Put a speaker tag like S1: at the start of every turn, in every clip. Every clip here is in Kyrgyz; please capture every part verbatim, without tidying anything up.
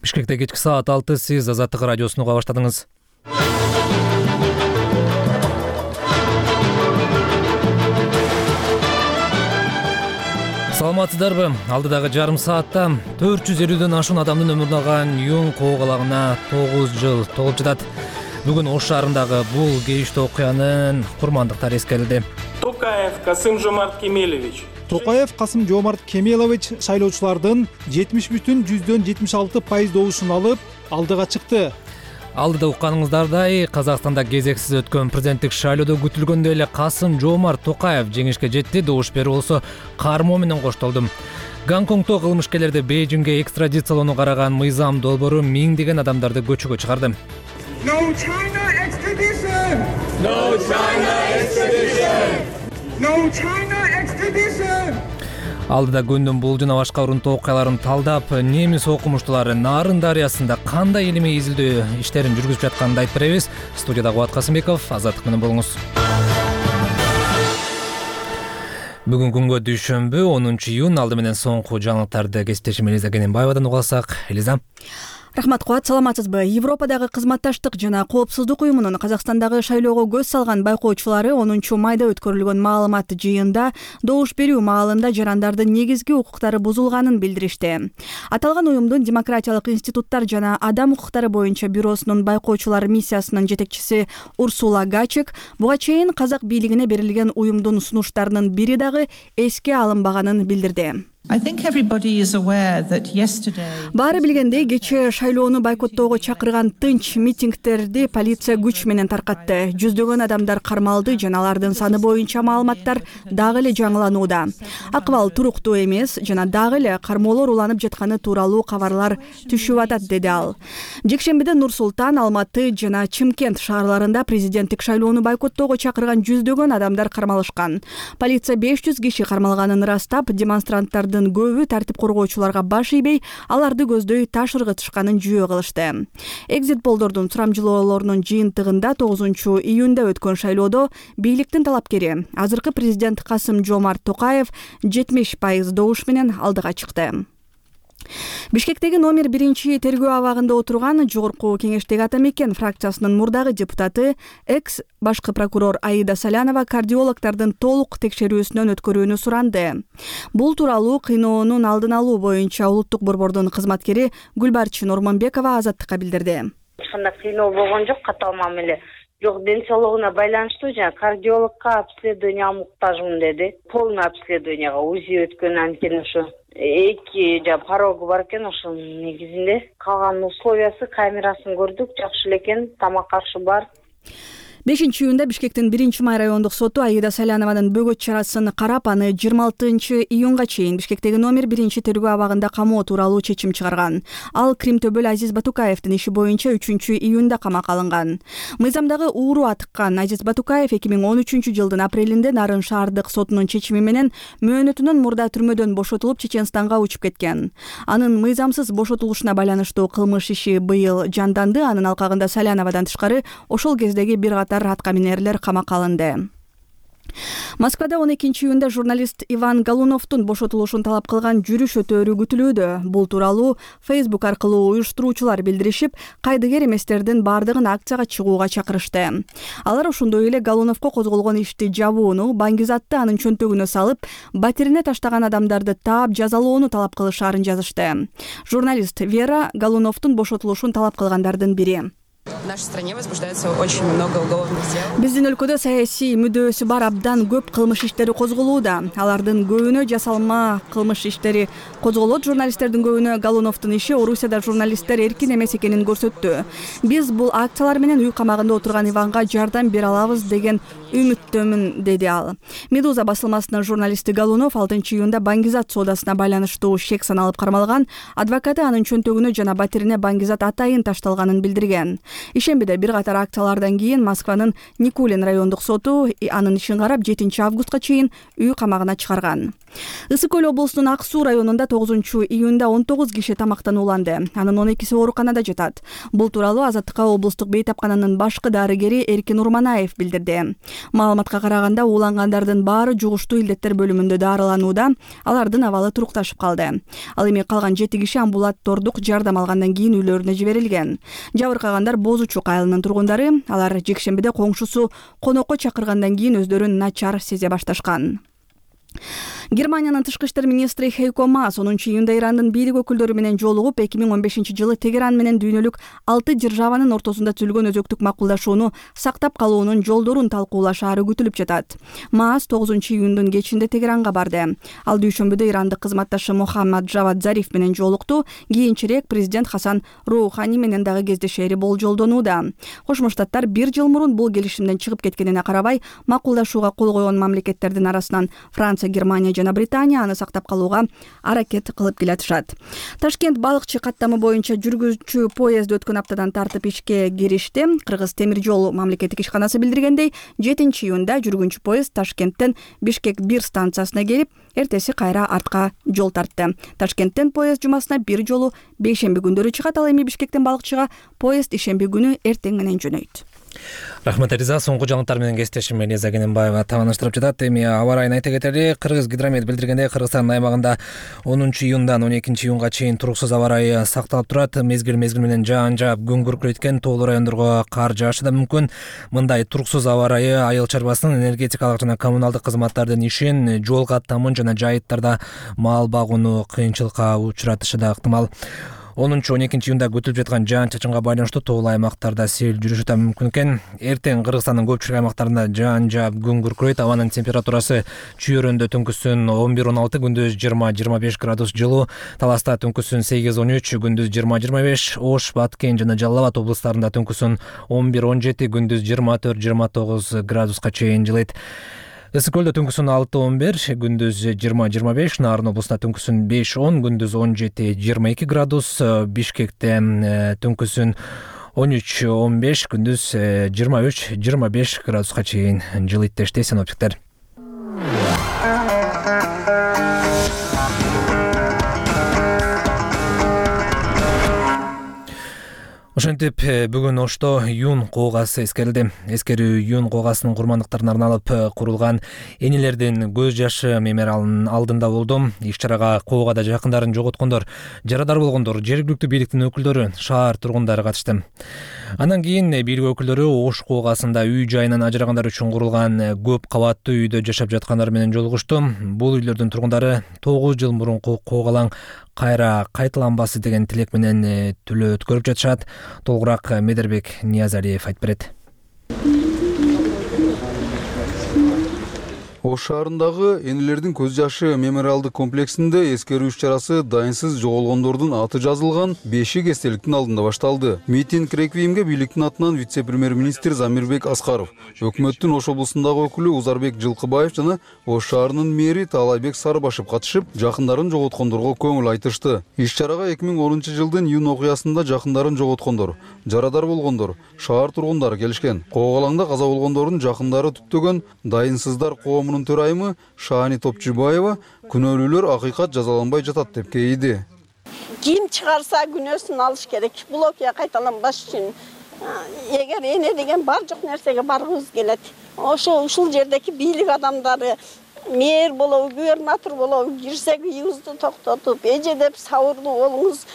S1: Бишкекте кечки саат алты, сиз Азаттык радиосун уга баштадыңыз. Саламатсыздарбы? Алдыдагы жарым саатта төрт жүз элүүдөн ашуун адамдын өмүрүн алган Юн коогалагына тогуз жыл толуп жатат. Бүгүн Ош шаарындагы бул кейиштүү окуянын курмандыктары эскерилди.
S2: Токаев Касым-Жомарт Кемелович.
S3: Токаев Касым-Жомарт Кемелович шайлоочулардын жетимиш бүтүн жүздөн жетимиш алты пайыз добушун алып, алдыга чыкты.
S1: Алдыда укканыңыздардай, Казакстанда кезексиз өткөн президенттик шайлоодо күтүлгөндөй эле Касым-Жомарт Токаев жеңишке жетти. Добуш берүү болсо кармоо менен коштолду. Гонконгдо кылмышкерлерди Бейжиңге экстрадициялоону караган мыйзам долбоору миңдеген адамдарды көчөгө чыгарды.
S4: No China extradition!
S2: No China extradition!
S4: No China extradition!
S1: Алдыда күндүн бул жана башка урунтуу окуяларын талдап, немис окумуштуулары Нарын дарыясында кандай илимий изилдөө иштерин жүргүзүп жатканын айтып беребиз. Студияда Кубат Касымбеков, Азаттык менен болуңуз. Бүгүн күнгө дүйшөмбү, онунчу июнь. Алды менен соңку жаңылыктарды кесиптешим Элиза Кененбаевадан уга алсак. Элиза.
S5: Рахмат Кубат, саламатсызбы? Европадагы кызматташтык жана коопсуздук уюмунун Казакстандагы шайлоого көз салган байкоочулары онунчу майда өткөрүлгөн маалымат жыйында добуш берүү маалында жарандардын негизги укуктары бузулганын билдиришти. Аталган уюмдун демократиялык институттар жана адам укуктары боюнча бюросунун байкоочулар миссиясынын жетекчиси Урсула Гачек буга чейин казак бийлигине берилген уюмдун сунуштарынын бири дагы эске алынбаганын билдирди. Баары билгендей, кечээ шайлоону бойкоттоого чакырган тынч митингдерди полиция күч менен таркатты. Жүздөгөн адамдар кармалды жана алардын саны боюнча маалыматтар дагы эле жаңыланууда. Акыбал туруктуу эмес жана дагы эле кармоолор уланып жатканы тууралуу кабарлар түшүп атат, деди ал. Жекшембиде Нур Султан, Алматы жана Чымкент шаарларында президенттик шайлоону бойкоттоого чакырган жүздөгөн адамдар кармалышкан. Полиция беш жүз киши кармалганын ырастап, демонстранттар көбү тартип коргоочуларга баш ийбей, аларды көздөй таш ыргытышканын жүйө кылышты. Экзит полдордун сурамжылоолорунун жыйынтыгында тогузунчу июнда өткөн шайлоодо бийликтин талапкери, азыркы президент Касым-Жомарт Токаев жетимиш пайыз добуш менен алдыга чыкты. Бишкектеги номер биринчи тергөө абагында отурган жогорку кеңештеги ата мекен фракциясынын мурдагы депутаты, экс башкы прокурор Аида Салянова кардиологдордун толук текшерүүсүнөн өткөрүүнү суранды. Бул тууралуу кыйноонун алдын алуу боюнча улуттук борбордун кызматкери Гүлбарчын Ормонбекова Азаттыкка билдирди.
S6: Эч кандай кыйноо болгон жок, катал мамиле. Жок, ден соолугуна байланыштуу жана кардиологко обследование муктажмын деди. Полный обследованияга УЗИ өткөн, анткени ошо эки жа порогу бар экен, ошонун негизинде калган условиясы, камерасын көрдүк, жакшы эле экен, тамак ашы бар.
S5: бешинчи июнда Бишкектин биринчи май райондук соту Аида Салянованын бөгөт чарасын карап, аны жыйырма алтынчы июнга чейин Бишкектеги номер биринчи тергөө абагында камоо тууралуу чечим чыгарган. Ал Крим-төбөл Азиз Батукаевдин иши боюнча үчүнчү июнда камакка алынган. Мыйзамдагы ууру атыккан Азиз Батукаев эки миң он үчүнчү жылдын апрелинде Нарын шаардык сотунун чечими менен мөөнөтүнөн мурда түрмөдөн бошотулуп Чеченстанга учуп кеткен. Анын мыйзамсыз бошотулушуна байланыштуу кылмыш иши быйыл жанданды. Анын алкагында Саляновадан тышкары ошол кездеги бир катар аткаминерлер камакка алынды. Москвада он экинчи июнда журналист Иван Голуновдун бошотулушун талап кылган жүрүш өтөөрү күтүлүүдө. Бул тууралуу Facebook аркылуу уюштуруучулар билдиришип, кайдыгер эместердин бардыгын акцияга чыгууга чакырышты. Алар ошондой эле Голуновго козголгон ишти жабууну, баңгизатты анын чөнтөгүнө салып, батирине таштаган адамдарды таап жазалоону талап кылышаарын жазышты. Журналист Вера Голуновдун бошотулушун талап кылгандардын бири.
S7: В нашей стране возбуждается очень много уголовных дел.
S5: Биздин өлкөдө саясий мүдөөсү бар абдан көп кылмыш иштери козголууда. Алардын көбүнө жасалма кылмыш иштери козголот. Журналисттердин көбүнө Голуновдун иши Орусияда журналисттер эркин эмес экенин көрсөттү. Биз бул акциялар менен үй камагында отурган Иванга жардам бере алабыз деген үмүттөмүн, деди ал. Медуза басылмасынын журналисти Голунов алтынчы июнда баңгизат соодасына байланыштуу шек саналып кармалган. Адвокаты анын чөнтөгүнө жана батирине баңгизат атайын ташталганын билдирген. Ишембиде бир катар акциялардан кийин Москванын Никулин райондук соту анын ишин карап жетинчи августка чейин үй камагына чыгарган. Ысык көл облусунун Ак Суу районунда тогузунчу июнда он тогуз киши тамактанууланды. Анын он экиси ооруканада жатат. Бул тууралуу Азаттыкка облустук бейтапкананын башкы дарыгери Эркин Урманаев билдирди. Маалыматка караганда уулангандардын баары жугуштуу илдеттер бөлүмүндө дарыланууда, алардын абалы турукташып калды. Ал эми калган жети киши амбулатордук жардам алгандан кийин үйлөрүнө жиберилген. Жабыркагандар Бозу Чук айылынын тургундары. Алар жекшембиде коңшусу конокко чакыргандан кийин өздөрүн начар сезе башташкан. Германиянын тышкы иштер министри Хейко Маас онунчу июнда Ирандын бийлик өкүлдөрү менен жолугуп, эки миң он бешинчи жылы Тегеран менен дүйнөлүк алты державанын ортосунда түзүлгөн өзөктүк макулдашууну сактап калуунун жолдорун талкуулашаары күтүлүп жатат. Маас тогузунчу июндун кечинде Тегеранга барды. Ал дүйшөмбүдө ирандык кызматташы Мухаммад Джавад Зариф менен жолукту. Кийинчерээк президент Хасан Роухани менен дагы кездешери болжолдонууда. Кошмо Штаттар бир жыл мурун бул келишимден чыгып кеткенине карабай, макулдашууга кол койгон мамлекеттердин арасынан Франция, Германия жана Британия аны сактап калууга аракет кылып келатышат. Ташкент балыкчы каттамы боюнча жүргүзчү поезд өткөн аптадан тартып ишке киришти. Кыргыз темир жол мамлекеттик ишканасы билдиргендей, жетинчи июнда жүргүнчү поезд Ташкенттен Бишкек бир станциясына келип, эртеси кайра артка жол тартты. Ташкенттен поезд жумасына бир жолу бейшемби күндөрү чыгат, ал эми Бишкектен балыкчыга поезд ишемби күнү эртең менен жөнөйт.
S1: Рахмат Риза, соңку жаңылыктар менен кесиптешим Элиза Кененбаева таманыштырып жатат. Эми аба райын айта кетели. Кыргыз гидромет билдиргендей, Кыргызстандын аймагында онунчу июндан он экинчи июнга чейин туруксуз аба райы сакталып турат. Мезгил мезгил менен жаан жаап, күн күркүрөйткөн тоолуу райондорго кар жаашы да мүмкүн. Мындай туруксуз аба райы айыл чарбасынын энергетикалык жана коммуналдык кызматтардын ишин, жол каттамын жана жайыттарда мал багууну кыйынчылыкка учуратышы да ыктымал. онунчу он экинчи июнда күтүлүп жаткан жаан чачынга байланыштуу тоолуу аймактарда сел жүрүшү да мүмкүн экен. Эртең Кыргызстандын көпчүлүк аймактарында жаан жаап, күн күркүрөйт. Абанын температурасы чүйөрөндө түнкүсүн он бир он алты, күндүз жыйырма жыйырма беш градус жылуу, Таласта түнкүсүн сегиз он үч, күндүз жыйырма жыйырма беш, Ош, Баткен жана Жалал Абад облустарында түнкүсүн он бир он жети, күндүз жыйырма төрт жыйырма тогуз градуска чейин жылыйт. Ысык көлдө түнкүсүн алты он бир, күндүз жыйырма жыйырма беш, Нарын облусунда түнкүсүн беш он, күндүз он жети жыйырма эки градус, Бишкекте түнкүсүн он үч он беш, күндүз жыйырма үч жыйырма беш градуска чейин жылыйт дешти синоптиктер. Ошентип бүгүн Ошто Юн коогасы эскерилди. Эскерүү Юн коогасынын курмандыктарына арналып курулган энелердин көз жашы мемориалынын алдында болду. Иш-чарага коогада жакындарын жоготкондор, жарадар болгондор, жергиликтүү бийликтин өкүлдөрү, шаар тургундары катышты. Андан кийин бийлик өкүлдөрү Ош коогасында үй жайынан ажырагандар үчүн курулган көп кабаттуу үйдө жашап жаткандар менен жолугушту. Бул үйлөрдүн тургундары тогуз жыл мурунку коогалаң кайра кайталанбасы деген тилек менен түлөө өткөрүп жатышат. Толугураак Медербек Ниязалиев айтып берет.
S8: Ош шаарындагы энелердин көз жашы мемориалдык комплексинде эскерүү иш-чарасы дайынсыз жоголгондордун аты жазылган бешик эстеликтин алдында башталды. Митинг реквиемге бийликтин атынан вице-премьер-министр Замирбек Аскаров, өкмөттүн Ош облусундагы өкүлү Узарбек Жылкыбаев жана Ош шаарынын мэри Таалайбек Сарыбашев катышып, жакындарын жоготкондорго көңүл айтышты. Иш-чарага эки миң онунчу жылдын июнь окуясында жакындарын жоготкондор, жарадар болгондор, шаар тургундары келишкен. Коогалаңда каза болгондордун жакындары түптөгөн дайынсыздар коомунун төрайымы Шаани Топчубаева күнөөлүүлөр акыйкат жазаланбай жатат деп кейиди.
S9: Ким чыгарса күнөөсүн алыш керек. Бул окуя кайталанбаш үчүн эгер эне деген бар жок нерсеге баргыбыз келет. Ошо ушул жердеки бийлик адамдары, мэр болобу, губернатор болобу, кирсек үйүбүздү токтотуп, эже деп сабырдуу болуңуз,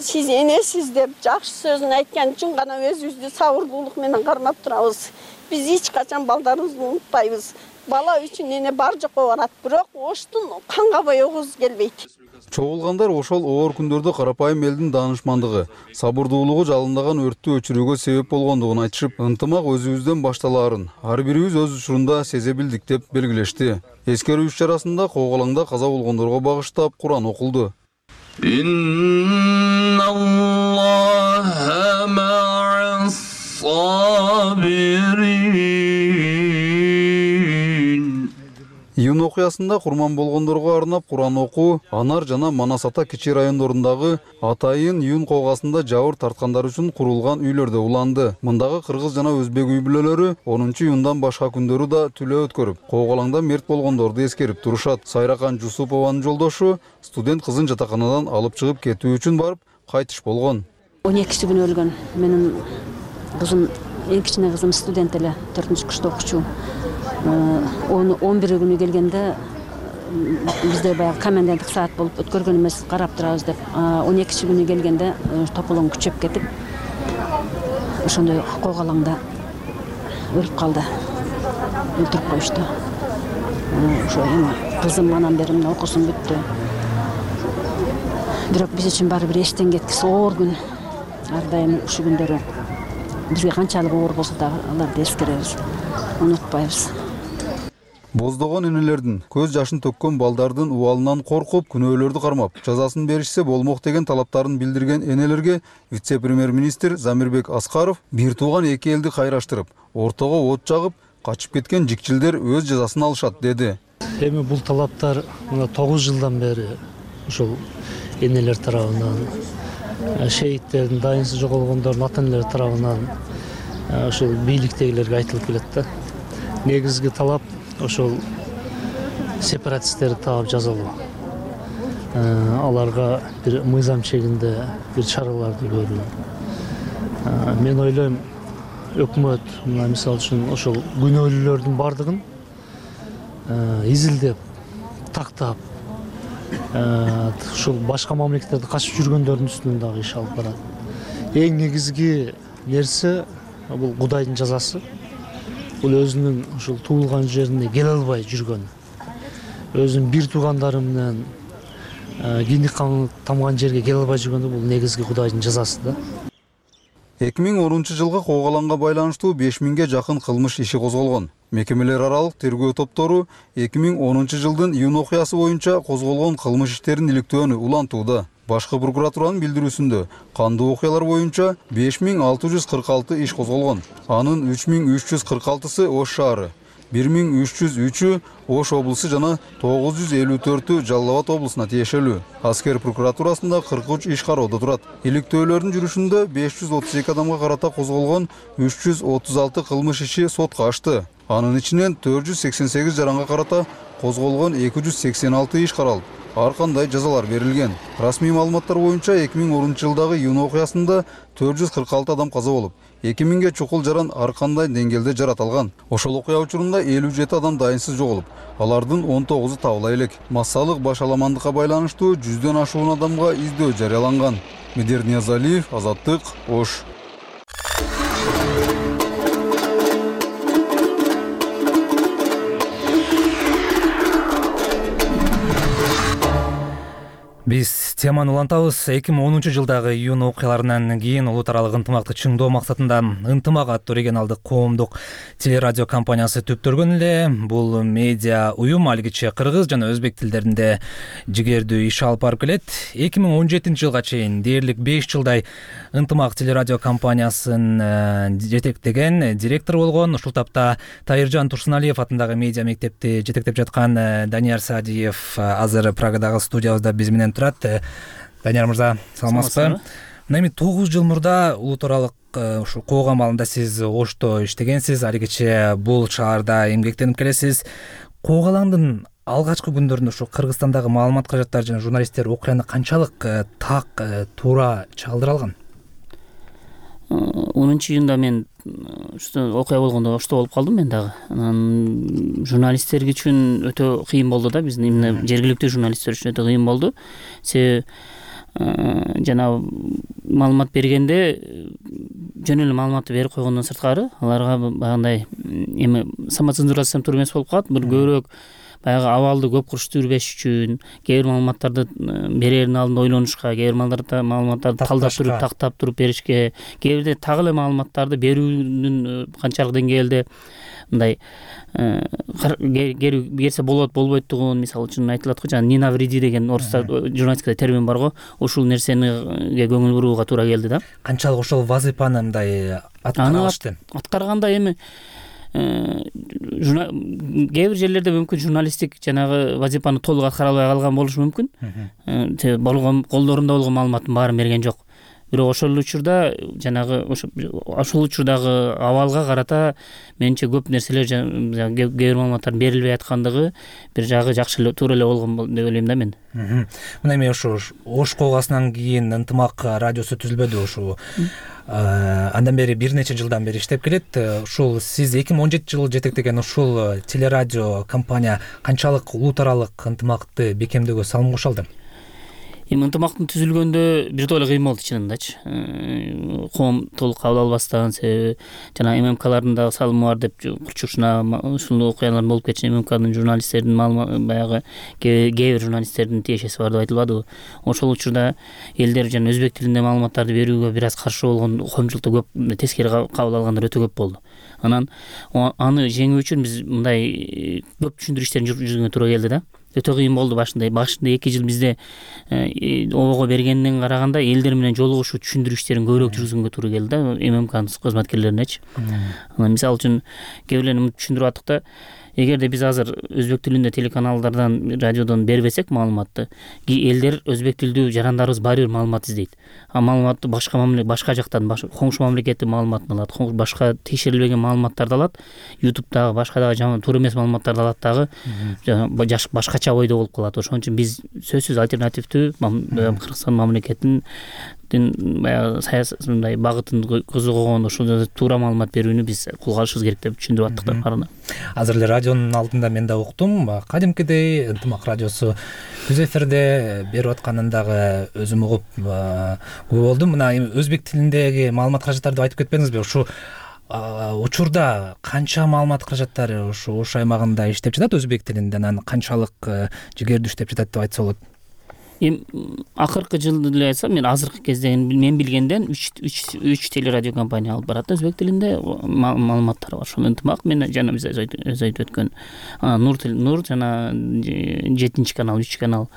S9: сиз энесиз деп жакшы сөзүн айткан үчүн гана өзүбүздү сабырдуулук менен кармап турабыз. Биз эч качан балдарыбызды унутпайбыз. Бала үчүн эне бар жокко барат, бирок Оштун канга боегубуз келбейт.
S8: Чогулгандар ошол оор күндөрдө карапайым элдин даанышмандыгы, сабырдуулугу жалындаган өрттү өчүрүүгө себеп болгондугун айтышып, ынтымак өзүбүздөн башталаарын ар бирибиз өз учурунда сезе билдик деп белгилешти. Эскерүү иш-чарасында коогалаңда каза болгондорго багыштап Куран окулду.
S10: Инналлаха ма'ас сабирин.
S8: Июнь окуясында курман болгондорго арнап Куран окуу, Анар жана Манас Ата кичи райондорундагы Атайын Юн коогасында жабыр тарткандар үчүн курулган үйлөрдө уланды. Мындагы кыргыз жана өзбек үй бүлөлөрү онунчу июндан башка күндөрү да түлөө өткөрүп, коогалаңда мерт болгондорду эскерип турушат. Сайракан Жусупованын жолдошу студент кызын жатаканадан алып чыгып кетүү үчүн барып кайтыш болгон.
S10: он экиси күнү өлгөн. Менин кызым, эң кичине кызым студент эле, төртүнчү курста окучу. он бир күнү келгенде бизде баягы коменданттык саат болуп өткөргөн эмес, карап турабыз деп. он экинчи күнү келгенде тополоң күчөп кетип, ошондой коогалаңда өлүп калды. Өлтүрүп коюшту. Ошо эми кызым анан бери мына окуусун бүттү. Бирок биз үчүн баары бир эчтен кеткис оор күн. Ар дайым ушул күндөрү бизге канчалык оор болсо дагы аларды эскеребиз, унутпайбыз.
S8: Боздогон энелердин, көз жашын төккөн балдардын убалынан коркуп, күнөөлөрдү кармап, жазасын беришсе болмок деген талаптарын билдирген энелерге вице-премьер-министр Замирбек Аскаров бир тууган эки элди кайраштырып, ортого от жагып, качып кеткен жикчилдер өз жазасын алышат деди.
S11: Эми бул талаптар мына тогуз жылдан бери ушул энелер тарабынан, шейиттердин, дайынсыз жоголгондордун ата-энелери тарабынан ошол бийликтегилерге айтылып келет да. Негизги талап ошол сепаратисттерди таап жазалоо. Аларга бир мыйзам чегинде бир чараларды көрүү. Мен ойлойм, өкмөт мына мисалы үчүн ошол күнөөлүүлөрдүн бардыгын изилдеп, тактап, ушул башка мамлекеттерде качып жүргөндөрдүн үстүнөн дагы иш алып барат. Эң негизги нерсе бул Кудайдын жазасы. Бул өзүнүн ушул туулган жерине келе албай жүргөн, өзүнүн бир туугандары менен киндик каны тамган жерге келе албай жүргөндө бул негизги Кудайдын жазасы да.
S8: эки миң онунчу жылга коогалаңга байланыштуу беш миңге жакын кылмыш иши козголгон. Мекемелер аралык тергөө топтору эки миң онунчу жылдын июнь окуясы боюнча козголгон кылмыш иштерин иликтөөнү улантууда. Башкы прокуратуранын билдирүүсүндө кандуу окуялар боюнча беш миң алты жүз кырк алты иш козголгон. Анын үч миң үч жүз кырк алтысы Ош шаары, бир миң үч жүз үчү Ош облусу жана тогуз жүз элүү төртү Жалал Абад облусуна тиешелүү. Аскер прокуратурасында кырк үч иш кароодо турат. Иликтөөлөрдүн жүрүшүндө беш жүз отуз эки адамга карата козголгон үч жүз отуз алты кылмыш иши сотко ашты. Анын ичинен төрт жүз сексен сегиз жаранга карата козголгон эки жүз сексен алты иш каралып, ар кандай жазалар берилген. Расмий маалыматтар боюнча эки миң онунчу жылдагы июнь окуясында төрт жүз кырк алты адам каза болуп, эки миңге чукул жаран ар кандай деңгээлде жаратылган. Ошол окуя учурунда элүү жети адам дайынсыз жоголуп, алардын он тогузу табыла элек. Массалык башаламандыкка байланыштуу жүздөн ашуун адамга издөө жарыяланган. Медер Ниязалиев, Азаттык, Ош.
S1: Биз теманы улантабыз. эки миң онунчу жылдагы июнь окуяларынан кийин улут аралык ынтымакты чыңдоо максатында Ынтымак аттуу регионалдык коомдук телерадио компаниясы түптөлгөн эле. Бул медиа уюм алгиче кыргыз жана өзбек тилдеринде жигердүү иш алып барып келет. эки миң он жетинчи жылга чейин дээрлик беш жылдай Ынтымак телерадио компаниясын жетектеген директор болгон. Ушул тапта Тайыржан Турсуналиев атындагы медиа мектепти жетектеп жаткан Данияр Садиев азыр Прагадагы студиябызда биз менен турат. Данияр мырза, саламатсызбы? Мына эми тогуз жыл мурда улут аралык ушул коогам алында сиз Ошто иштегенсиз, алигиче бул шаарда эмгектенип келесиз. Коогалаңдын алгачкы күндөрүндө ушу Кыргызстандагы маалымат кажаттар жана журналисттер окуяны канчалык так, туура чагылдыра алган?
S10: онунчу июнда мен окуя болгондо Ошто болуп калдым мен дагы. Анан журналисттер үчүн өтө кыйын болду да, биздин эмне жергиликтүү журналисттер үчүн өтө кыйын болду. Себеби жана маалымат бергенде жөн эле маалыматты берип койгондон сырткары аларга багындай эми самоцензурация туура эмес болуп калат. Бир көбүрөөк баягы абалды көп куруштурбеш үчүн кээ бир маалыматтарды берердин алдында ойлонушка, кээ бир маалыматтарды талдап туруп, тактап туруп беришке, кээ бирде так эле маалыматтарды берүүнүн канчалык деңгээлде мындай берсе болот, болбойттугун, мисалы үчүн айтылат го, жана Нина вреди деген орусча журналистикада термин бар го, ушул нерсениге көңүл бурууга туура келди да.
S1: Канчалык ошол вазыйпаны мындай аткарышты?
S10: Аткарганда эми кээ бир жерлерде мүмкүн журналисттик жанагы вазифаны толук аткара албай калган болушу мүмкүн. болгон колдорунда болгон маалыматтын баарын берген жок. Бирок ошол учурда жанагы ошол учурдагы абалга карата менимче көп нерселер кээ бир маалыматтардын берилбей аткандыгы бир жагы жакшы эле туура эле болгон деп ойлойм да мен.
S1: Мына эми ошо Ош колгасынан кийин Ынтымак радиосу түзүлбөдү ушул. Андан бери бир нече жылдан бери иштеп келет. Ушул сиз эки миң он жетинчи жылы жетектеген ушул телерадио компания канчалык улут аралык ынтымакты бекемдөөгө салым кошо алды?
S10: Эми ынтымактын түзүлгөндө бир топ эле кыйын болду чынындачы. Коом толук кабыл албастан, себеби жана эм эм калардын дагы салымы бар деп курчушуна ушул окуялардын болуп кетишин эм эм кадын журналисттердин маалыматы баягы кээ бир журналисттердин тиешеси бар деп айтылбадыбы. Ошол учурда элдер жана өзбек тилинде маалыматтарды берүүгө бир аз каршы болгон, коомчулукта көп тескери кабыл алгандар өтө көп болду. Анан аны жеңүү үчүн биз мындай көп түшүндүрүү иштерин жүргүзгөнгө туура келди да. Өтө кыйын болду башында. Башында эки жыл бизде обого бергенден караганда элдер менен жолугушуу, түшүндүрүү иштерин көбүрөөк жүргүзгөнгө туура келди да, эм эм кадын кызматкерлеринечи. Анан мисалы үчүн кээ бирлерин түшүндүрүп аттык да, эгерде биз азыр өзбек тилинде телеканалдардан, радиодон бербесек маалыматты, элдер өзбек тилдүү жарандарыбыз баары бир маалымат издейт. А маалыматты башка мамлекет, башка жактан, коңшу мамлекеттин маалыматын алат, башка текшерилбеген маалыматтарды алат, ютубтагы, башка дагы туура эмес маалыматтарды алат дагы, башкача ойдо болуп калат. Ошон үчүн биз сөзсүз альтернативдүү Кыргызстан мамлекетинин баягы саясатындай багытын козгогон ошол туура маалымат берүүнү биз колго алышыбыз керек деп түшүндүрүп аттык да баарына.
S1: Азыр эле радионун алдында мен да уктум. Кадимкидей Ынтымак радиосу түз эфирде берип атканын дагы өзүм угуп көп болдум. Мына өзбек тилиндеги маалымат каражаттарды айтып кетпедиңизби? Ушу учурда канча маалымат каражаттары ушу Ош аймагында иштеп жатат өзбек тилинде, анан канчалык жигердүү иштеп жатат деп айтса болот?
S10: Эми акыркы жылды эле айтсам, мен азыркы кезде мен билгенден үч телерадио компания алып барат өзбек тилинде маалыматтар бар. Ошол Ынтымак менен жана биз өз айтып өткөн Нур Нур жана жетинчи канал, үч канал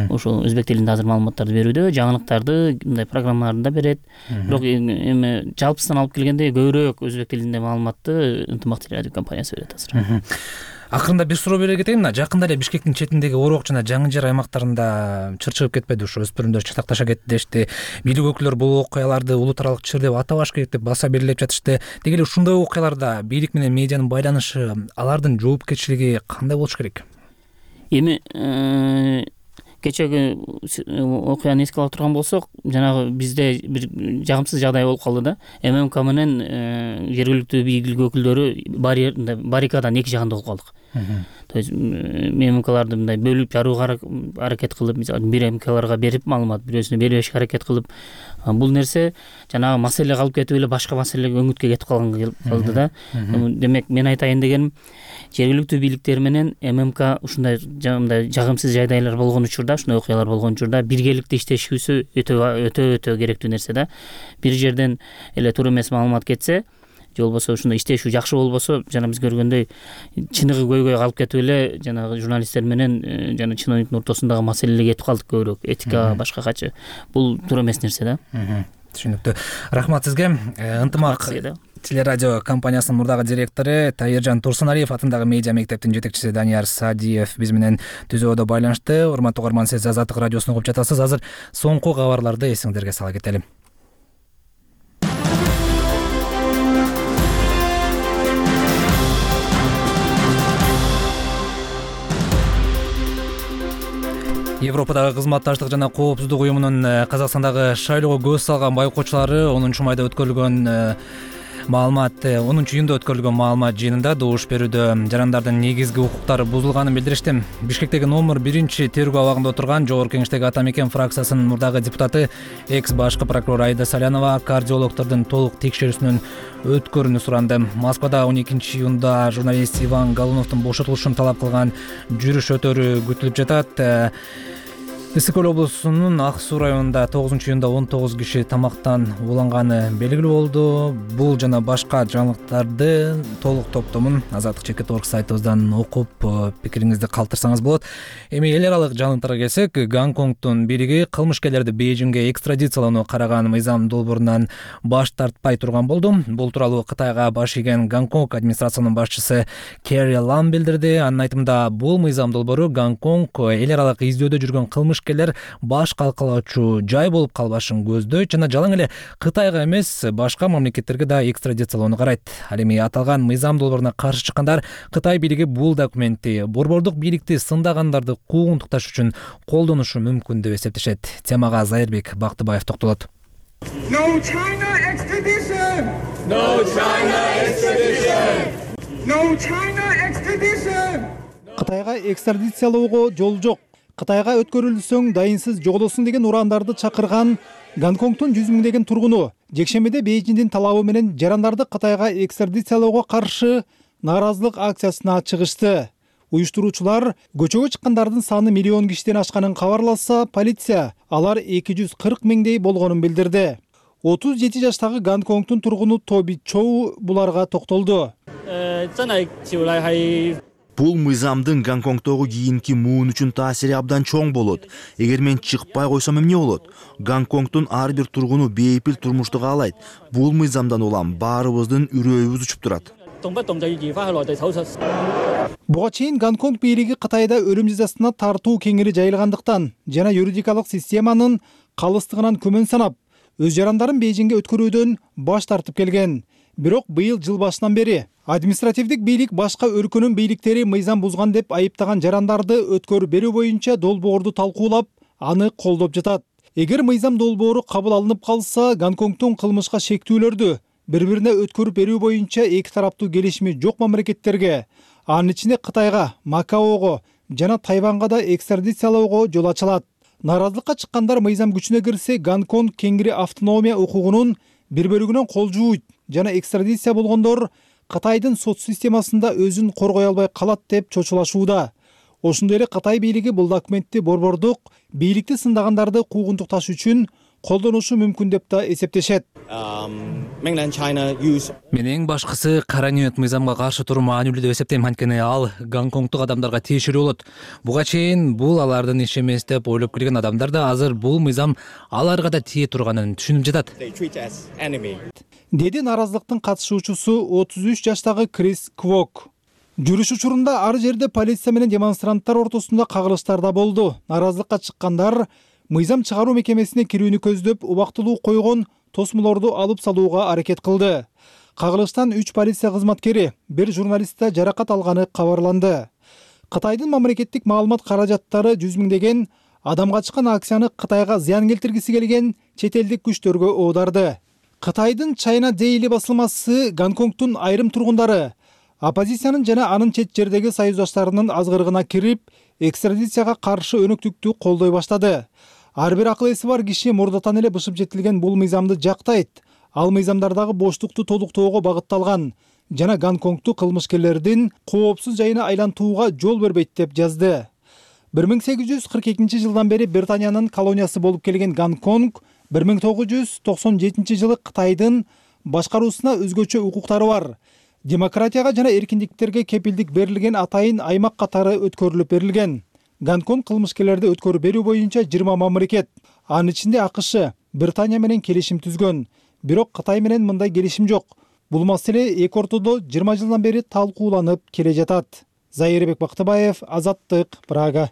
S10: ошол өзбек тилинде азыр маалыматтарды берүүдө, жаңылыктарды, мындай программаларды да берет. Бирок эми жалпысынан алып келгенде көбүрөөк өзбек тилинде маалыматты Ынтымак телерадио компаниясы берет азыр.
S1: Акырында бир суроо бере кетейин. Жакында эле Бишкектин четиндеги Орок жана Жаңы жер аймактарында чыр чыгып кетпеди, ушу өспүрүмдөр чатакташа кетти дешти. Бийлик өкүлдөрү бул окуяларды улут аралык чыр деп атабаш керек деп баса белгилеп жатышты. Деги эле ушундай окуяларда бийлик менен медианын байланышы, алардын жоопкерчилиги кандай болуш керек?
S10: Эми кечеги окуяны эске алып турган болсок, жанагы бизде бир жагымсыз жагдай болуп калды да. эм эм ка менен жергиликтүү бийлик өкүлдөрү баррикаданын эки жагында болуп калдык. То есть эм эм каларды мындай бөлүп жарууга аракет кылып, мисалы бир эм эм каларга берип маалымат, бирөөсүнө бербешке аракет кылып, бул нерсе жанагы маселе калып кетип эле башка маселеге өңүткө кетип калган калды да. Демек мен айтайын дегеним, жергиликтүү бийликтер менен эм эм ка ушундай жагымсыз жагдайлар болгон учурда, ушундай окуялар болгон учурда биргеликте иштешүүсү өтө өтө өтө керектүү нерсе да. Бир жерден эле туура эмес маалымат кетсе, же болбосо ушундай иштешүү жакшы болбосо, жана биз көргөндөй чыныгы көйгөй калып кетип эле жанагы журналисттер менен жана чиновниктин ортосундагы маселелерге кетип калдык көбүрөөк. Этика башка качы. Бул туура эмес нерсе да.
S1: Түшүнүктүү. Рахмат сизге. Ынтымак телерадио компаниясынын мурдагы директору Таиржан Турсуналиев атындагы медиа мектептин жетекчиси Данияр Садиев биз менен түзөөдө байланышты. Урматтуу угарман, сиз Азаттык радиосун угуп жатасыз. Азыр соңку кабарларды эсиңиздерге сала кетели. Европадагы кызматташтык жана коопсуздук уюмунун Казакстандагы шайлоого көз салган байкоочулары онунчу майда өткөрүлгөн маалымат онунчу июнда өткөрүлгөн маалымат жыйынында добуш берүүдө жарандардын негизги укуктары бузулганын билдиришти. Бишкектеги номер биринчи тергөө абагында отурган Жогорку Кеңештеги Ата Мекен фракциясынын мурдагы депутаты, экс башкы прокурор Айда Салянова кардиологдордун толук текшерүүсүнөн өткөрүүнү суранды. Москвада он экинчи июнда журналист Иван Галуновдун бошотулушун талап кылган жүрүш өтөрү күтүлүп жатат. Ысык көл облусунун Ак Суу районунда тогузунчу июнда он тогуз киши тамактан ууланганы белгилүү болду. Бул жана башка жаңылыктарды толук топтомун Азаттык чекит орг сайтыбыздан окуп пикириңизди калтырсаңыз болот. Эми эл аралык жаңылыктарга келсек, Гонконгдун бийлиги кылмышкерлерди Бейжиңге экстрадициялоону караган мыйзам долбоорунан баш тартпай турган болду. Бул тууралуу Кытайга баш ийген Гонконг администрациянын башчысы Керри Лам билдирди. Анын айтымында, бул мыйзам долбоору Гонконг эл аралык издөөдө жүргөн кылмыш баш калкалоочу жай болуп калбашын көздөйт жана жалаң эле Кытайга эмес, башка мамлекеттерге да экстрадициялоону карайт. Ал эми аталган мыйзам долбооруна каршы чыккандар Кытай бийлиги бул документти борбордук бийликти сындагандарды куугунтукташ үчүн колдонушу мүмкүн деп эсептешет. Темага Зайырбек Бактыбаев токтолот.
S4: No China extradition!
S2: No China extradition!
S4: No China extradition!
S3: Кытайга экстрадициялоого жол жок. Кытайга өткөрүлсөң дайынсыз жоголосуң деген урандарды чакырган Гонконгдун жүз миңдеген тургуну жекшембиде Бейжиңдин талабы менен жарандарды Кытайга экстрадициялоого каршы нааразылык акциясына чыгышты. Уюштуруучулар көчөгө чыккандардын саны миллион кишиден ашканын кабарласа, полиция алар эки жүз кырк миңдей болгонун билдирди. отуз жети жаштагы Гонконгдун тургуну Тоби Чоу буларга токтолду.
S12: Бул мыйзамдын Гонконгдогу кийинки муун үчүн таасири абдан чоң болот. Эгер мен чыкпай койсом эмне болот? Гонконгдун ар бир тургуну бейпил турмушту каалайт. Бул мыйзамдан улам баарыбыздын үрөйүбүз учуп турат.
S3: Буга чейин Гонконг бийлиги Кытайда өлүм жазасына тартуу кеңири жайылгандыктан жана юридикалык системанын калыстыгынан күмөн санап, өз жарандарын Бейжиңге өткөрүүдөн баш тартып келген. Бирок быйыл жыл башынан бери административдик бийлик башка өлкөнүн бийликтери мыйзам бузган деп айыптаган жарандарды өткөрүп берүү боюнча долбоорду талкуулап, аны колдоп жатат. Эгер мыйзам долбоору кабыл алынып калса, Гонконгдун кылмышка шектүүлөрдү бири-бирине өткөрүп берүү боюнча эки тараптуу келишими жок мамлекеттерге, анын ичинде Кытайга, Макаого жана Тайванга да экстрадициялоого жол ачылат. Нааразылыкка чыккандар мыйзам күчүнө кирсе, Гонконг кеңири автономия укугунун бир бөлүгүнөн кол жууйт жана экстрадиция болгондор Кытайдын сот системасында өзүн коргой албай калат деп чочулашууда. Ошондой эле Кытай бийлиги бул документти борбордук бийликти сындагандарды куугунтукташ үчүн колдонушу мүмкүн деп да эсептешет.
S1: Мен эң башкысы кара ниет мыйзамга каршы туруу маанилүү деп эсептейм, анткени ал Гонконгдук адамдарга тиешелүү болот. Буга чейин бул алардын иши эмес деп ойлоп келген адамдар да азыр бул мыйзам аларга да тие турганын түшүнүп жатат.
S3: Деди нааразылыктын катышуучусу отуз үч жаштагы Крис Квок. Жүрүш учурунда ар жерде полиция менен демонстранттар ортосунда кагылыштар да болду. Нааразылыкка чыккандар мыйзам чыгаруу мекемесине кирүүнү көздөп, убактылуу койгон тосмолорду алып салууга аракет кылды. Кагылыштан үч полиция кызматкери, бир журналист да жаракат алганы кабарланды. Кытайдын мамлекеттик маалымат каражаттары жүз миңдеген адамга чыккан акцияны Кытайга зыян келтиргиси келген чет элдик күчтөргө оодарды. Кытайдын China Daily басылмасы Гонконгдун айрым тургундары оппозициянын жана анын чет жердеги союздаштарынын азгырыгына кирип, экстрадицияга каршы өнөктүктү колдой баштады. Ар бир акыл эси бар киши мурдатан эле бышып жетилген бул мыйзамды жактайт. Ал мыйзамдардагы боштукту толуктоого багытталган жана Гонконгду кылмышкерлердин коопсуз жайына айлантууга жол бербейт деп жазды. бир миң сегиз жүз кырк экинчи жылдан бери Британиянын колониясы болуп келген Гонконг бир миң тогуз жүз токсон жетинчи жылы Кытайдын башкаруусуна өзгөчө укуктары бар. Демократияга жана эркиндиктерге кепилдик берилген атайын аймак катары өткөрүлүп берилген. Гонконг кылмышкерлерди өткөрүп берүү боюнча жыйырма мамлекет, анын ичинде АКШ, Британия менен келишим түзгөн. Бирок Кытай менен мындай келишим жок. Бул маселе эки ортодо жыйырма жылдан бери талкууланып келе жатат. Зайырбек Бактыбаев, Азаттык, Прага.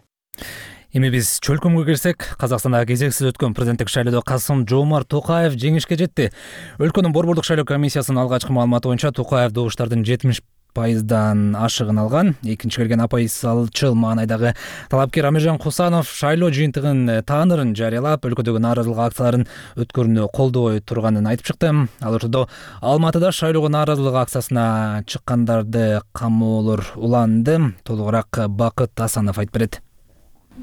S1: Эми биз чөлкөмгө келсек, Казакстанда кезексиз өткөн президенттик шайлоодо Касым-Жомарт Токаев жеңишке жетти. Өлкөнүн борбордук шайлоо комиссиясынын алгачкы маалыматы боюнча Токаев добуштардын жетимиш пайыздан ашыгын алган. Экинчи келген апайсалчыл маанайдагы талапкер Амиржан Кусанов шайлоо жыйынтыгын таанырын жарыялап, өлкөдөгү нааразылык акцияларын өткөрүүнү колдобой турганын айтып чыкты. Ал ошондо Алматыда шайлоого нааразылык акциясына чыккандарды камоолор уланды. Толугураак Бакыт Асанов айтып берет.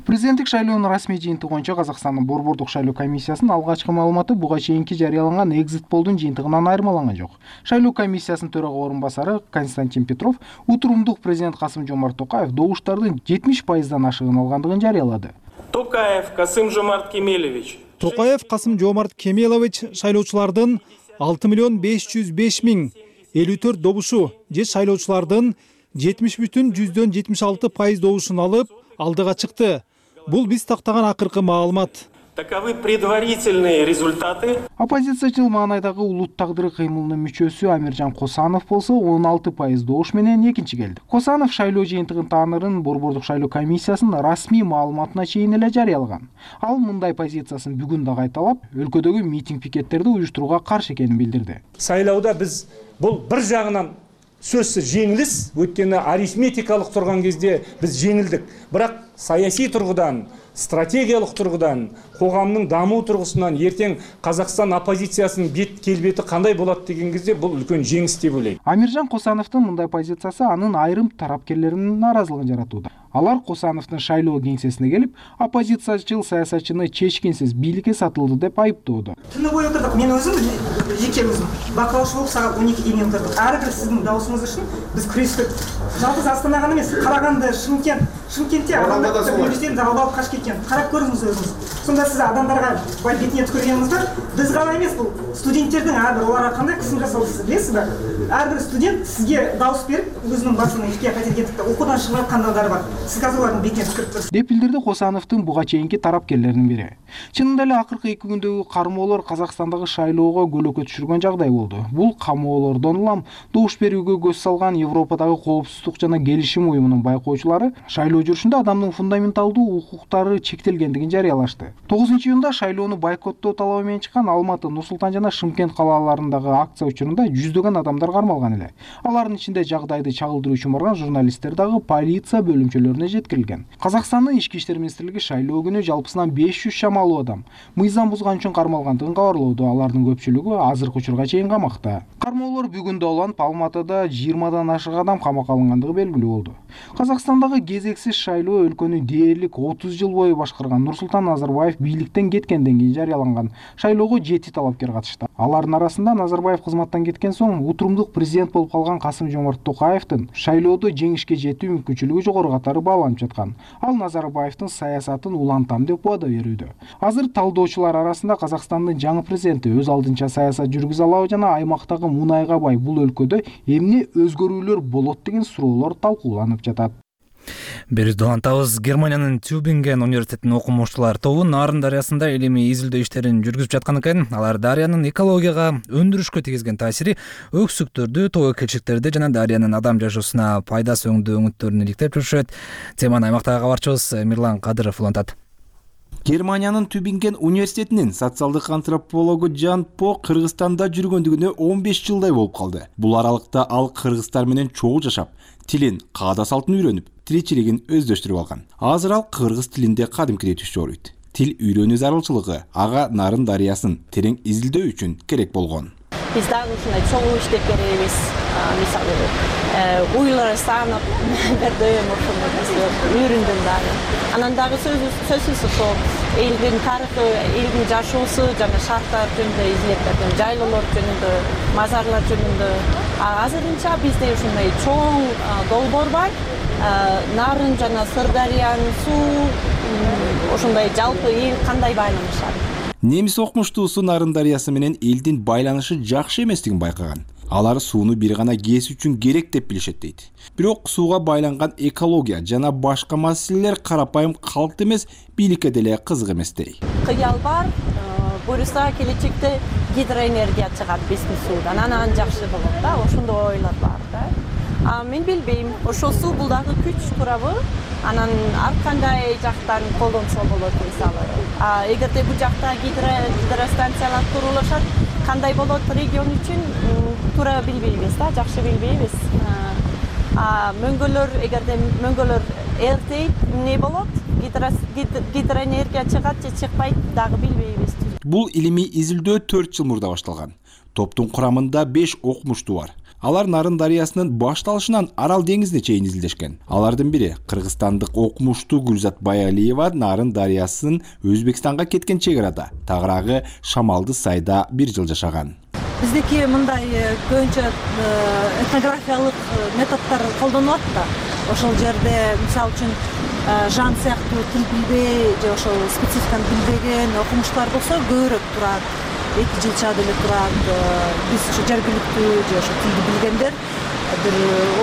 S13: Президенттик шайлоонун расмий жыйынтыгы боюнча Казакстандын борбордук шайлоо комиссиясынын алгачкы маалыматы буга чейинки жарыяланган экзит полдун жыйынтыгынан айырмаланган жок. Шайлоо комиссиясынын төрага орун басары Константин Петров утурумдук президент Касым-Жомарт Токаев добуштардын жетимиш пайыздан ашыгын алгандыгын жарыялады.
S14: Токаев Касым-Жомарт Кемелевич.
S3: Токаев Касым Жомарт Кемелович шайлоочулардын алты миллион беш жүз беш миң элүү төрт добушу же шайлоочулардын жетимиш бүтүн жүздөн жетимиш алты пайыз добушун алып алдыга чыкты. Бул биз тактаган акыркы маалымат.
S14: Таковы предварительные результаты.
S13: Оппозициячыл маанайдагы улут тагдыры кыймылынын мүчөсү Амиржан Косанов болсо он алты пайыз добуш менен экинчи келди. Косанов шайлоо жыйынтыгын таанырын Борбордук шайлоо комиссиясынын расмий маалыматына чейин эле жарыялаган. Ал мындай позициясын бүгүн да кайталап, өлкөдөгү митинг пикеттерди уюштурууга каршы экенин билдирди.
S15: Сайлоодо биз бул бир жагынан сөзсүз жеңилис, өткені арифметикалык турган кезде биз жеңилдик. Бирок саясий тургудан, стратегиялык тургудан, коомдун дамуу тургусунан эртең Казакстан оппозициясынын бет келбети кандай болот деген кезде бул үлкөн жеңис деп ойлойм.
S13: Амиржан Косановдун мындай позициясы анын айрым тарапкерлеринин нааразылыгын жаратууда. Алар Косановдун шайлоо кеңсесине келип, оппозициячыл саясатчыны чечкинсиз бийликке сатылды деп айыптоодо.
S16: Түнү бою отурдук, мен өзүм жеке өзүм бакылауучу болуп саат он эки дейин отурдук. Ар бир сиздин даусуңуз үчүн биз күрөштүк. Жалгыз Астана гана эмес, Караганды, Шымкент, Шымкентте адамдар бюллетень алып алып качып кеткен. Карап көрүңүз өзүңүз. Сонда сиз адамдарга бай бетине түкөргөнүңүздө биз гана эмес, бул студенттердин ар бир оларга кандай кысым жасалды сиз билесизби? Ар бир студент сизге дауыс берип, өзүнүн башын ишке кайтарып окуудан чыгып аткандар бар. Сиз азыр алардын бетине түкөрүп көрүңүз.
S13: Деп билдирди Косановдун буга чейинки тарапкерлеринин бири. Чынында эле акыркы эки күндөгү кармоолор Казакстандагы шайлоого көлөкө түшүргөн жагдай болду. Бул камоолордон улам добуш берүүгө көз салган Европадагы коопсуздук жана келишим уюмунун байкоочулары шайлоо жүрүшүндө адамдын фундаменталдуу укуктары чектелгендигин жарыялашты. тогузунчу июнда шайлоону бойкоттоо талабы менен чыккан Алматы, Нур-Султан жана Шымкент калаларындагы акция учурунда жүздөгөн адамдар кармалган эле. Алардын ичинде жагдайды чагылдыруу үчүн барган журналисттер дагы полиция бөлүмчөлөрүнө жеткирилген. Казакстандын ички иштер министрлиги шайлоо күнү жалпысынан беш жүз шамалуу адам мыйзам бузган үчүн кармалгандыгын кабарлоодо. Алардын көпчүлүгү азыркы учурга чейин камакта. Кармоолор бүгүн да уланып, Алматыда жыйырмадан ашык адам камакка алынгандыгы белгилүү болду. Казакстандагы кезексиз шайлоо өлкөнү дээрлик отуз жыл бою башкарган Нурсултан Назарбаев бийликтен кеткенден кийин жарыяланган. Шайлоого жети талапкер катышты. Алардын арасында Назарбаев кызматтан кеткен соң утурумдук президент болуп калган Касым-Жомарт Токаевдин шайлоодо жеңишке жетүү мүмкүнчүлүгү жогору катары бааланып жаткан. Ал Назарбаевдин саясатын улантам деп убада берүүдө. Азыр талдоочулар арасында Казакстандын жаңы президенти өз алдынча саясат жүргүзө алабы жана аймактагы мунайга бай бул өлкөдө эмне өзгөрүүлөр болот деген суроолор талкууланып жатат.
S1: Бериз улантабыз. Германиянын Тюбинген университетинин окумуштуулар тобу Нарын дарыясында элеми изилдөө иштерин жүргүзүп жаткан экен. Алар дарыянын экологияга, өндүрүшкө тийгизген таасири, өксүктөрдү, тоо келчектерди жана дарыянын адам жашоосуна пайдасы өңдүү өңүттөрүн иликтеп жүрүшөт. Теманы аймактагы кабарчыбыз Мирлан Кадыров улантат.
S17: Германиянын Тюбинген университетинин социалдык антропологу Жан По Кыргызстанда жүргөндүгүнө он беш жылдай болуп калды. Бул аралыкта ал кыргыздар менен чогуу жашап, тилин, каада салтын үйрөнүп, тиричилигин өздөштүрүп алган. Азыр ал кыргыз тилинде кадимкидей түш чогулойт. Тил үйрөнүү зарылчылыгы ага Нарын дарыясын терең изилдөө үчүн керек болгон.
S18: Биз дагы ушундай чогуу иштеп беребиз. Мисалы, уйлар санап, бердем ошондой үйрөндүм дагы. Анан дагы сөзсүз ошол элдин тарыхы, элдин жашоосу жана шарттар жөнүндө изилеп бердим. Жайлоолор жөнүндө, мазарлар жөнүндө. Азырынча бизде ушундай чоң долбоор бар. Нарын жана Сырдарыянын суу ошондой жалпы эл кандай байланышат.
S17: Немис окумуштуусу Нарын дарыясы менен элдин байланышы жакшы эместигин байкаган. Алар сууну бир гана кез үчүн керек деп билишет дейт. Бирок сууга байланган экология жана башка маселелер карапайым калк эмес, бийликке деле кызык эмес дей.
S18: Кыял бар, буюрса келечекте гидроэнергия чыгат биздин суудан, анан жакшы болот да, ошондой ойлор бар да. А мен билбейм, ошол суу бул дагы күч туурабы? Анан ар кандай жактан колдонсо болот мисалы. А эгерде бул жакта гидростанциялар курулушат, кандай болот регион үчүн туура билбейбиз да, жакшы билбейбиз. А мөңгөлөр, эгерде мөңгөлөр эртейт, эмне болот? Гидроэнергия чыгат же чыкпайт дагы билбейбиз.
S17: Бул илимий изилдөө төрт жыл мурда башталган. Топтун курамында беш окумуштуу бар. Алар Нарын дарыясынын башталышынан Арал деңизине чейин изилдешкен. Алардын бири кыргызстандык окумуштуу Гүлзат Баялиева Нарын дарыясынын Өзбекстанга кеткен чек арада, тагыраагы Шамалды сайда бир жыл жашаган.
S19: Биздики мындай көбүнчө этнографиялык методдор колдонулат да. Ошол жерде мисалы үчүн жан сыяктуу тил билбей же ошол спецификаны билбеген окумуштуулар болсо көбүрөөк турат, эки жылча деле турат. Биз ушу жергиликтүү же ошо тилди билгендер бир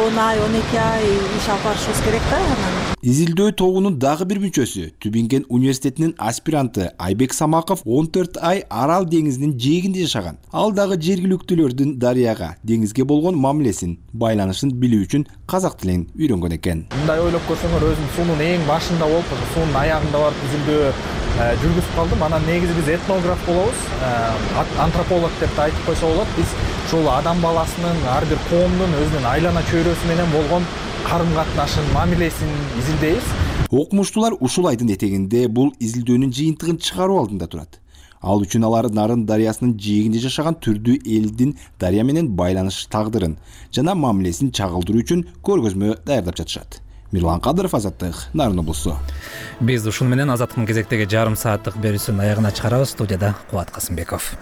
S19: он ай он эки ай иш алып барышыбыз керек да. Анан
S17: изилдөө тобунун дагы бир мүчөсү Тюбинген университетинин аспиранты Айбек Самаков он төрт ай Арал деңизинин жээгинде жашаган. Ал дагы жергиликтүүлөрдүн дарыяга, деңизге болгон мамилесин, байланышын билүү үчүн казак тилин үйрөнгөн экен.
S20: Мындай ойлоп көрсөңөр, өзүм суунун эң башында болуп, суунун аягында барып изилдөө жүргүзүп калдым. Анан негизи биз этнограф болобуз, антрополог деп да айтып койсо болот. Биз ушул адам баласынын, ар бир коомдун өзүнүн айлана чөйрөсү менен болгон карым катнашын, мамилесин изилдейбиз.
S17: Окумуштуулар ушул айдын этегинде бул изилдөөнүн жыйынтыгын чыгаруу алдында турат. Ал үчүн алар Нарын дарыясынын жээгинде жашаган түрдүү элдин дарыя менен байланыш тагдырын жана мамилесин чагылдыруу үчүн көргөзмө даярдап жатышат. Мирлан Кадыров, Азаттык, Нарын облусу.
S1: Биз ушун менен Азаттыктын кезектеги жарым сааттык берүүсүнүн аягына чыгарабыз. Студияда Кубат Касымбеков.